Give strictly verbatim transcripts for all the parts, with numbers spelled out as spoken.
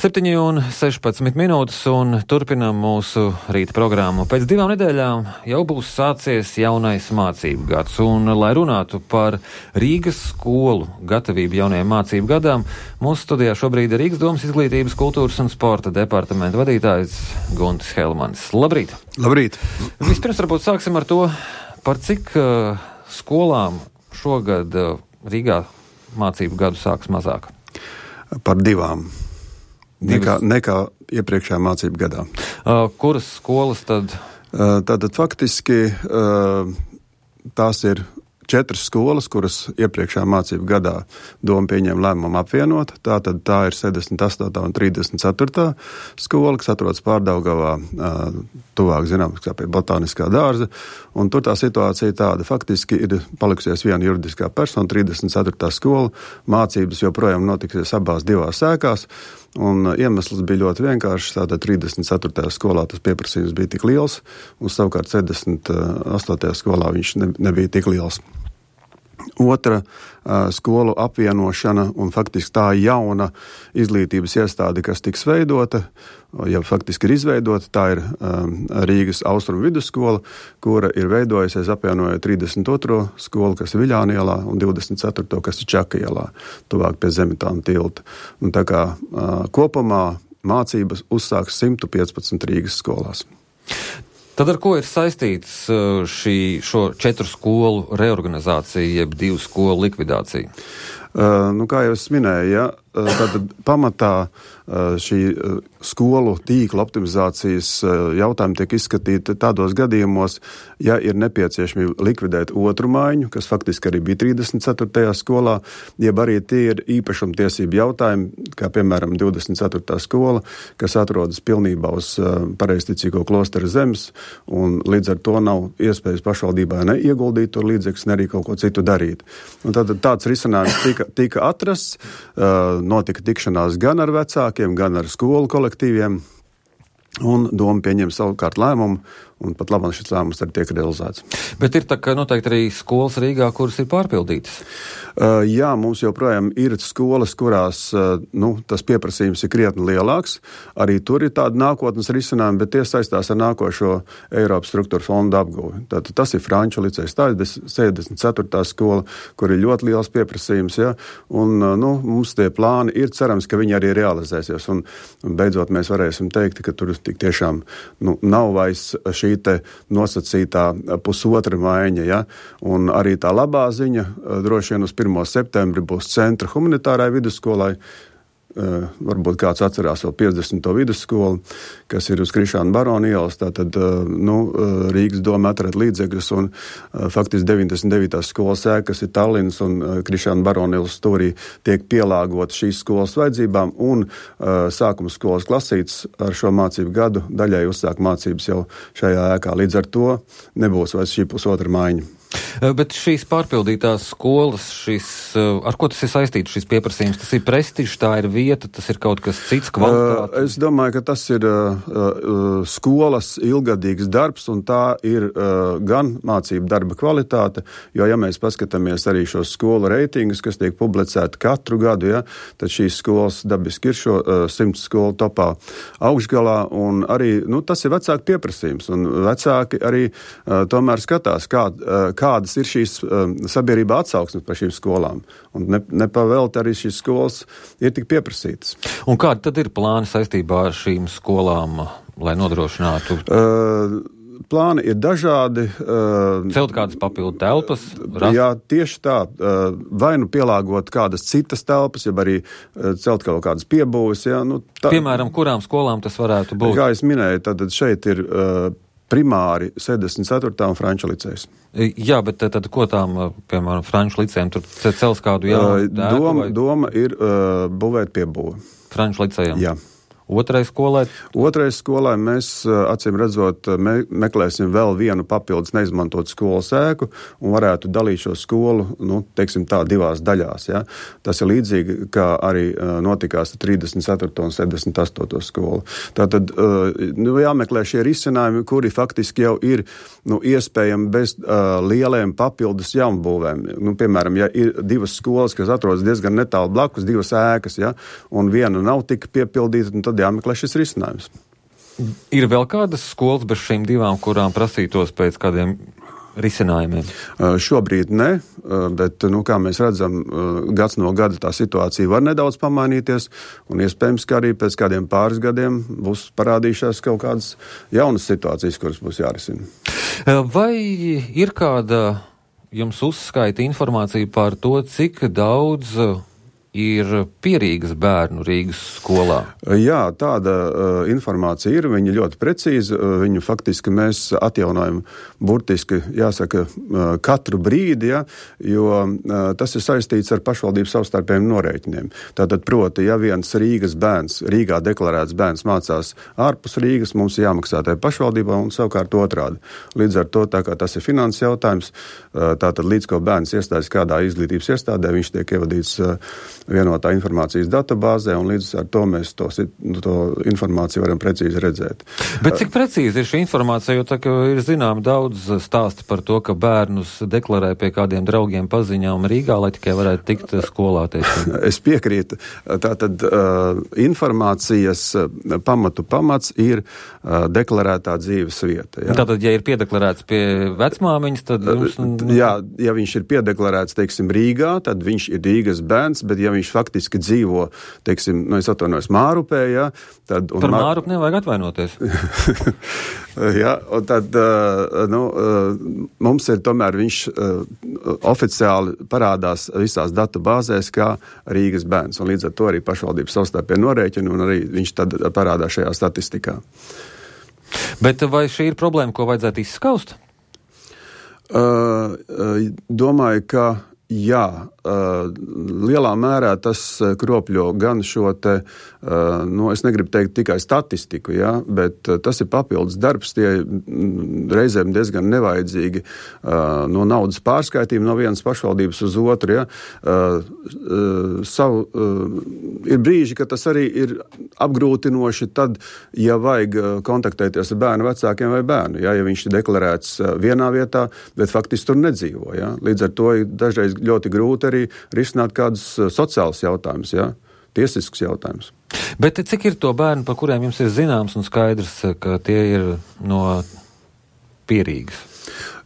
septiņi un sešpadsmit minūtes un turpinām mūsu rīta programmu. Pēc divām nedēļām jau būs sācies jaunais mācību gads, un, lai runātu par Rīgas skolu gatavību jaunajiem mācību gadām, mūsu studijā šobrīd ir Rīgas domas izglītības, kultūras un sporta departamenta vadītājs Guntis Helmanis. Labrīt! Labrīt! Vispirms varbūt sāksim ar to, par cik uh, skolām šogad uh, Rīgā mācību gadu sāks mazāk? Par divām. Nekā, nekā iepriekšējā mācību gadā. Uh, kuras skolas tad? Uh, tātad faktiski uh, tās ir četras skolas, kuras iepriekšējā mācību gadā doma pieņēma lēmumu apvienot. Tātad tā ir sešdesmit astotā un trīsdesmit ceturtā skola, kas atrodas Pārdaugavā, uh, tuvāk zināms, kā pie Botāniskā dārza. Un tur tā situācija tāda. Faktiski ir palikusies viena juridiskā persona, trīsdesmit ceturtā skola. Mācības joprojām notiksies abās divās sēkās. Un iemesls bija ļoti vienkāršs. Tātad trīsdesmit ceturtajā skolā tas pieprasījums bija tik liels, un savukārt sešdesmit astotajā skolā viņš ne, nebija tik liels. Otra uh, skolu apvienošana un faktiski tā jauna izglītības iestāde, kas tiks veidota, ja faktiski ir izveidota, tā ir um, Rīgas Austrumu vidusskola, kura ir veidojusies apvienojot trīsdesmit otro skolu, kas ir Viļānu ielā, un divdesmit ceturto, kas ir Čaka ielā, tuvāk pie Zemitāna tilta. Un tā kā uh, kopumā mācības uzsāks simt piecpadsmit Rīgas skolās. Tad ar ko ir saistīts šī, šo četru skolu reorganizācija, jeb divu skolu likvidācija? Uh, nu, kā jau es minēju, ja, tad pamatā uh, šī uh, skolu tīkla optimizācijas uh, jautājumi tiek izskatīti tādos gadījumos, ja ir nepieciešamība likvidēt otru maiņu, kas faktiski arī bija trīsdesmit ceturtajā skolā, jeb arī tie ir īpašumtiesību jautājumi, kā piemēram divdesmit ceturtā skola, kas atrodas pilnībā uz uh, pareizticīgo klosteru zemes, un līdz ar to nav iespējas pašvaldībā ne ieguldīt tur līdzekļus, ne arī kaut ko citu darīt. Un tad tāds risinājums tika tika atrasts, uh, notika tikšanās gan ar vecākiem, gan ar skolu kolektīviem, un doma pieņem savukārt lēmumu, un pat labāk šis lēmums arī tiek realizēts. Bet ir tā, ka noteikti arī skolas Rīgā, kuras ir pārpildītas? Uh, jā, mums joprojām ir skolas, kurās uh, nu, tas pieprasījums ir krietni lielāks. Arī tur ir tāda nākotnes risinājuma, bet tie saistās ar nākošo Eiropas struktūra fonda apguvi. Tātad tas ir Franču licejs, tā ir sešdesmit ceturtā skola, kur ir ļoti liels pieprasījums, ja? Un uh, nu, mums tie plāni ir, cerams, ka viņi arī realizēsies. Un, un beidzot mēs varēsim teikt, ka tur tik tiešām nu, nav vairs šī te nosacītā pusotra maiņa, ja? Un arī tā labā ziņa droši vien uz pirmo septembri būs centra humanitārai vidusskolai. Uh, varbūt kāds atcerās vēl piecdesmito vidusskolu, kas ir uz Krišāna Barona ielas, tātad uh, nu, uh, Rīgas doma atrada līdzekļus un uh, faktiski deviņdesmit devītās skolas ēka, kas ir Tallinas un uh, Krišāna Barona ielas stūrī, tiek pielāgot šīs skolas vajadzībām un uh, sākuma skolas klasītes ar šo mācību gadu daļai uzsāk mācības jau šajā ēkā. Līdz ar to nebūs vairs šī pusotra maiņa. Bet šīs pārpildītās skolas, šis, ar ko tas ir saistīts, šis pieprasījums? Tas ir prestižs, tā ir vieta, tas ir kaut kas cits, kvalitāte? Es domāju, ka tas ir uh, uh, skolas ilgadīgs darbs, un tā ir uh, gan mācību darba kvalitāte, jo, ja mēs paskatāmies arī šos skolu reitingus, kas tiek publicēti katru gadu, ja, tad šīs skolas dabiski ir šo uh, simts skolu topā augšgalā, un arī, nu, tas ir vecāku pieprasījums, un vecāki arī uh, tomēr skatās, kā, uh, kādas ir šīs um, sabiedrībā atsauksmes par šīm skolām. Un ne, nepavēlti arī šīs skolas ir tik pieprasītas. Un kādi tad ir plāni saistībā ar šīm skolām, lai nodrošinātu? Uh, plāni ir dažādi. Uh, Celt kādas papildu telpas? Rast? Jā, tieši tā. Uh, vai nu pielāgot kādas citas telpas, ja arī uh, celt kaut kādas piebūves. Ja, nu, tā, Piemēram, kurām skolām tas varētu būt? Kā es minēju, tad šeit ir uh, primāri sešdesmit ceturtā un Franču licejs. Jā, bet tad ko tām, piemēram, Franču licejiem, tur cels kādu jaunu doma, doma ir uh, būvēt piebūvi. Franču licejiem? Jā. Otrai skolai? Otrai skolai mēs, acīm redzot, me, meklēsim vēl vienu papildus neizmantot skolas ēku un varētu dalīt šo skolu, nu, teiksim tā, divās daļās. Ja? Tas ir līdzīgi, kā arī notikās trīsdesmit ceturto un septiņdesmit astoto skolu. Tātad nu, jāmeklē šie risinājumi, kuri faktiski jau ir nu, iespējami bez uh, lieliem papildus jaunbūvēm. Nu, piemēram, ja ir divas skolas, kas atrodas diezgan netālu blakus, divas ēkas, ja, un viena nav tik piepildīta, tad jāmeklē šis risinājums. Ir vēl kādas skolas bez šīm divām, kurām prasītos pēc kādiem risinājumiem? Uh, šobrīd ne, uh, bet, nu, kā mēs redzam, uh, gads no gada tā situācija var nedaudz pamainīties, un iespējams, ka arī pēc kādiem pāris gadiem būs parādījušās kaut kādas jaunas situācijas, kuras būs jārisina. Vai ir kāda jums uzskaita informācija par to, cik daudz ir pierīgas bērnu Rīgas skolā? Jā, tāda uh, informācija ir, viņa ļoti precīza, uh, viņu faktiski mēs atjaunojam burtiski, jāsaka, uh, katru brīdi, ja, jo uh, tas ir saistīts ar pašvaldību savstarpējiem norēķiniem. Tātad, proti, ja viens Rīgas bērns, Rīgā deklarēts bērns mācās ārpus Rīgas, mums ir jāmaksā tai pašvaldībā un savukārt otrādi. Līdz ar to, tā kā tas ir finanses jautājums, uh, tātad līdz ko bērns iestājas kādā izglītības iestādē, viņš tiek ievadīts uh, vienotā informācijas databāzē, un līdz ar to mēs to, to informāciju varam precīzi redzēt. Bet cik precīzi ir šī informācija, jo tā, ir zinām daudz stāsti par to, ka bērnus deklarē pie kādiem draugiem paziņām Rīgā, lai tikai varētu tikt skolā, teiksim? Es piekrītu. Tātad uh, informācijas pamatu pamats ir uh, deklarētā dzīves vieta. Jā. Tātad, ja ir piedeklarēts pie vecmāmiņas, tad jums... Uh, jā, ja viņš ir piedeklarēts, teiksim, Rīgā, tad viņš ir Rīgas bērns, bet ja viņš faktiski dzīvo, teiksim, nu, es atvainojos Mārupē, jā, tad... Par Mār... Mārupu nevajag atvainoties. Jā, un tad, uh, nu, uh, mums ir tomēr viņš uh, oficiāli parādās visās datu bāzēs kā Rīgas bērns, un līdz ar to arī pašvaldības savstarpēji norēķina, un arī viņš tad parādās šajā statistikā. Bet vai šī ir problēma, ko vajadzētu izskaust? Uh, uh, domāju, ka jā, uh, lielā mērā tas kropļo gan šo te, uh, nu, es negribu teikt tikai statistiku, jā, bet uh, tas ir papildus darbs, tie mm, reizēm diezgan nevajadzīgi uh, no naudas pārskaitījumi no vienas pašvaldības uz otru, jā. Uh, uh, savu, uh, ir brīži, ka tas arī ir apgrūtinoši tad, ja vajag uh, kontaktēties ar bērnu vecākiem vai bērnu, jā, ja viņš ir deklarēts uh, vienā vietā, bet faktiski tur nedzīvo, jā. Līdz ar to ir dažreiz ļoti grūti arī risināt kādus sociālus jautājumus, ja? Tiesiskus jautājumus. Bet cik ir to bērnu, par kuriem jums ir zināms un skaidrs, ka tie ir no pierīgas?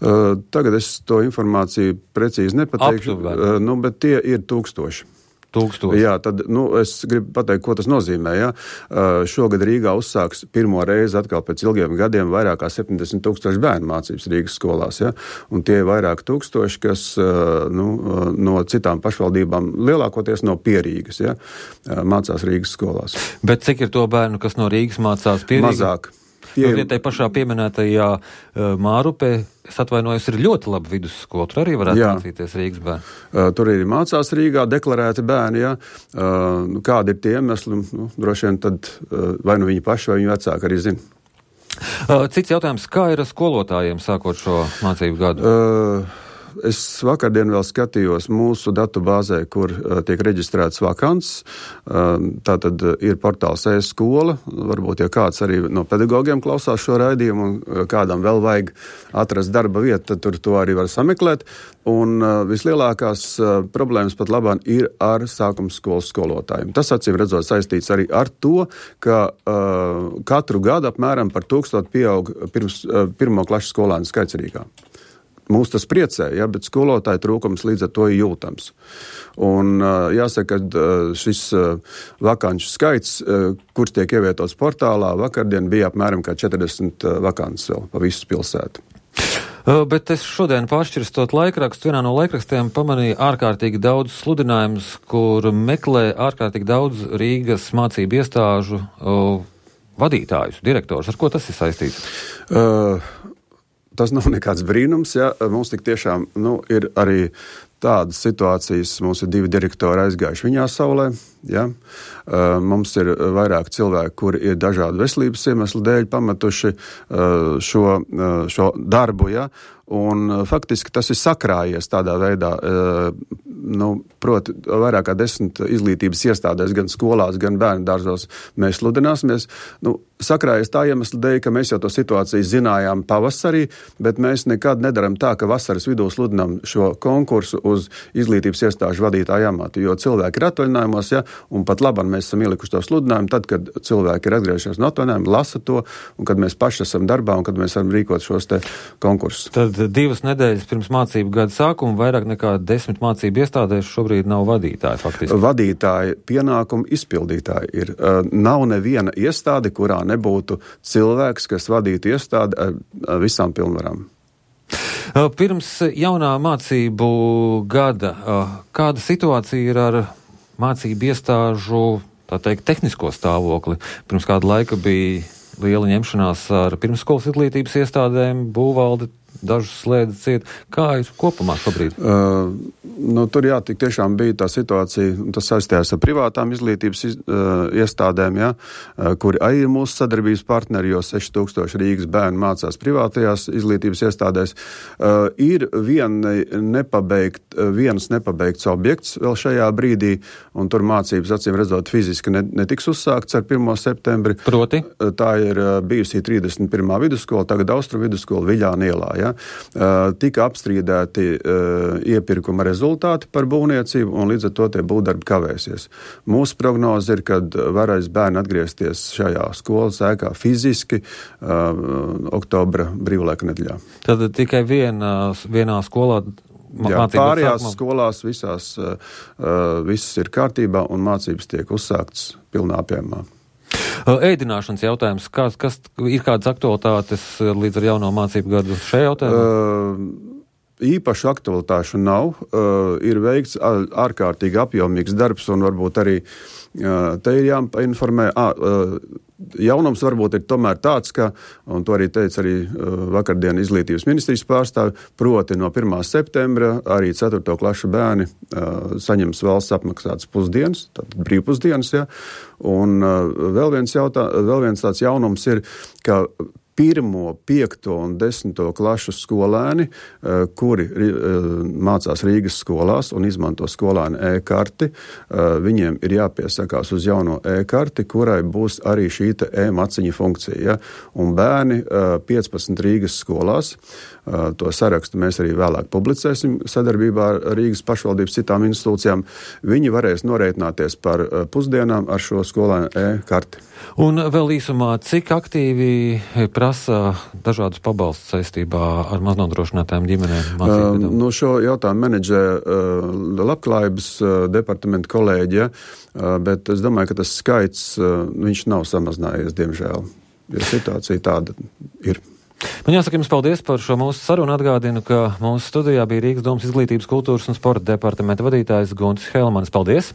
Uh, tagad es to informāciju precīzi nepateikšu, uh, nu, bet tie ir tūkstoši. Tūkstoši. Jā, tad, nu, es gribu pateikt, ko tas nozīmē, jā. Uh, šogad Rīgā uzsāks pirmo reizi atkal pēc ilgiem gadiem vairāk kā septiņdesmit tūkstoši bērnu mācības Rīgas skolās, jā. Un tie ir vairāk tūkstoši, kas, uh, nu, uh, no citām pašvaldībām, lielākoties no Pierīgas, jā, uh, mācās Rīgas skolās. Bet cik ir to bērnu, kas no Rīgas mācās Pierīgā? Mazāk. Tie... Nu, tai pašā pieminētajā uh, Mārupē, es atvainojos, ir ļoti laba vidusskola. Tur arī varētu jā. Mācīties Rīgas bērni. Uh, tur arī mācās Rīgā deklarēti bērni, jā. Uh, kādi ir tie iemesli? Nu, droši vien tad uh, vai nu viņi paši, vai viņi vecāki arī zina. Uh, cits jautājums, kā ir ar skolotājiem sākot šo mācību gadu? Uh, Es vakardien vēl skatījos mūsu datu bāzē, kur uh, tiek reģistrēts vakants. Uh, tātad ir portāls e-skola. Varbūt, ja kāds arī no pedagogiem klausās šo raidījumu un uh, kādam vēl vajag atrast darba vietu, tad tur to arī var sameklēt. Un uh, vislielākās uh, problēmas pat labāk ir ar sākuma skolas skolotājiem. Tas, acīm redzot, saistīts arī ar to, ka uh, katru gadu apmēram par tūkstotu pieaug pirms, uh, pirmo klašu skolēnu skaits Rīgā. Mūs tas priecē, ja, bet skolotāju trūkums līdz ar to ir jūtams. Un jāsaka, ka šis vakanču skaits, kurš tiek ievietots portālā, vakardien bija apmēram kā četrdesmit vakants vēl pa visu pilsētu. Bet es šodien pāršķirstot laikrakstu, vienā no laikrakstiem pamanīju ārkārtīgi daudz sludinājumus, kur meklē ārkārtīgi daudz Rīgas mācību iestāžu vadītājus, direktorus. Ar ko tas ir saistīts? Uh, Tas nav nekāds brīnums, ja mums tik tiešām nu, ir arī tādas situācijas, mums ir divi direktori aizgājuši viņā saulē, ja? Mums ir vairāk cilvēki, kuri ir dažādu veselības iemeslu dēļ pametuši šo, šo darbu, ja? Un faktiski tas ir sakrājies tādā veidā, nu, proti, vairāk kā desmit izglītības iestādēs, gan skolās, gan bērnu dārzos mēs sludināsimies. Nu, sakrājies tā iemesla dēļ, ka mēs jau to situāciju zinājām pavasarī, bet mēs nekad nedaram tā, ka vasaras vidū sludinām šo konkursu uz izglītības iestāžu vadītāju amatu, jo cilvēki ir atvaļinājumos, ja, un pat labam mēs esam ielikuši to sludinājumu, tad, kad cilvēki ir atgriežies no atvaļinājuma, lasa to, un kad mēs paši esam darbā, un kad mēs varam rīkot šos te konkursus. Tad divas nedēļas pirms mācību gada sākuma vairāk nekā desmit mācību iestādēs šobrīd nav vadītāji faktiski. Vadītāji, pienākumu izpildītāji ir. Nav neviena iestāde, kurā nebūtu cilvēks, kas vadītu iestādi ar visām pilnvarām. Pirms jaunā mācību gada, kāda situācija ir ar mācību iestāžu, tā teikt, tehnisko stāvokli? Pirms kāda laika bija liela ņemšanās ar pirmsskolas izglītības iestādēm, būvvalde, dažus slēdz ciet. Kā ir kopumā šobrīd? Uh, nu, tur jā, tik tiešām bija tā situācija, tas saistījās ar privātām izglītības iz, uh, iestādēm, jā, uh, kuri arī ir mūsu sadarbības partneri, jo seši tūkstoši Rīgas bērni mācās privātajās izglītības iestādēs. Uh, ir viena nepabeigt, viens nepabeigts objekts vēl šajā brīdī, un tur mācības, acīm redzot, fiziski ne, netiks uzsākts ar pirmo septembri. Proti? Tā ir uh, bijusī trīsdesmit pirmā vidusskola, tagad Austru vidusskola Viļāna ielā. Ja? Uh, tika apstrīdēti uh, iepirkuma rezultāti par būvniecību, un līdz ar to tie būvdarbi kavēsies. Mūsu prognoze ir, kad varēs bērni atgriezties šajā skolas ēkā fiziski uh, oktobra brīvlaika nedēļā. Tad tikai vienā, vienā skolā Jā, pārējās sākumā. Skolās visās uh, viss ir kārtībā un mācības tiek uzsāktas pilnā apjēmā. Ēdināšanas jautājums, kas, kas ir kādas aktualitātes līdz ar jauno mācību gadu šajā jautājumā? Uh, īpašu aktualitāšu nav. Uh, ir veikts ārkārtīgi apjomīgs darbs un varbūt arī uh, te ir jāinformē. Ah, uh, Jaunums varbūt ir tomēr tāds, ka, un to arī teica arī uh, vakardien izglītības ministrijas pārstāvi, proti no pirmā septembra arī ceturto klašu bērni uh, saņems valsts apmaksātas pusdienas, tātad brīvpusdienas, ja, un uh, vēl viens jautā, vēl viens tāds jaunums ir, ka pirmo, piekto un desmito klašu skolēni, kuri mācās Rīgas skolās un izmanto skolēnu e-karti, viņiem ir jāpiesakās uz jauno e-karti, kurai būs arī šī te e-maciņa funkcija. Ja? Un bērni piecpadsmit Rīgas skolās, to sarakstu mēs arī vēlāk publicēsim sadarbībā ar Rīgas pašvaldības citām institūcijām, viņi varēs norēķināties par pusdienām ar šo skolēnu e-karti. Un vēl īsumā, cik aktīvi prasa dažādus pabalstus saistībā ar maznodrošinātām ģimenēm? Uh, no šo jautājumu menedžē uh, labklājības uh, departamenta kolēģija, uh, bet es domāju, ka tas skaits, uh, viņš nav samazinājies, diemžēl. Ja situācija tāda ir. Man jāsaka jums paldies par šo mūsu sarunu. Atgādinu, ka mūsu studijā bija Rīgas domas izglītības, kultūras un sporta departamenta vadītājs Guntis Helmanis. Paldies!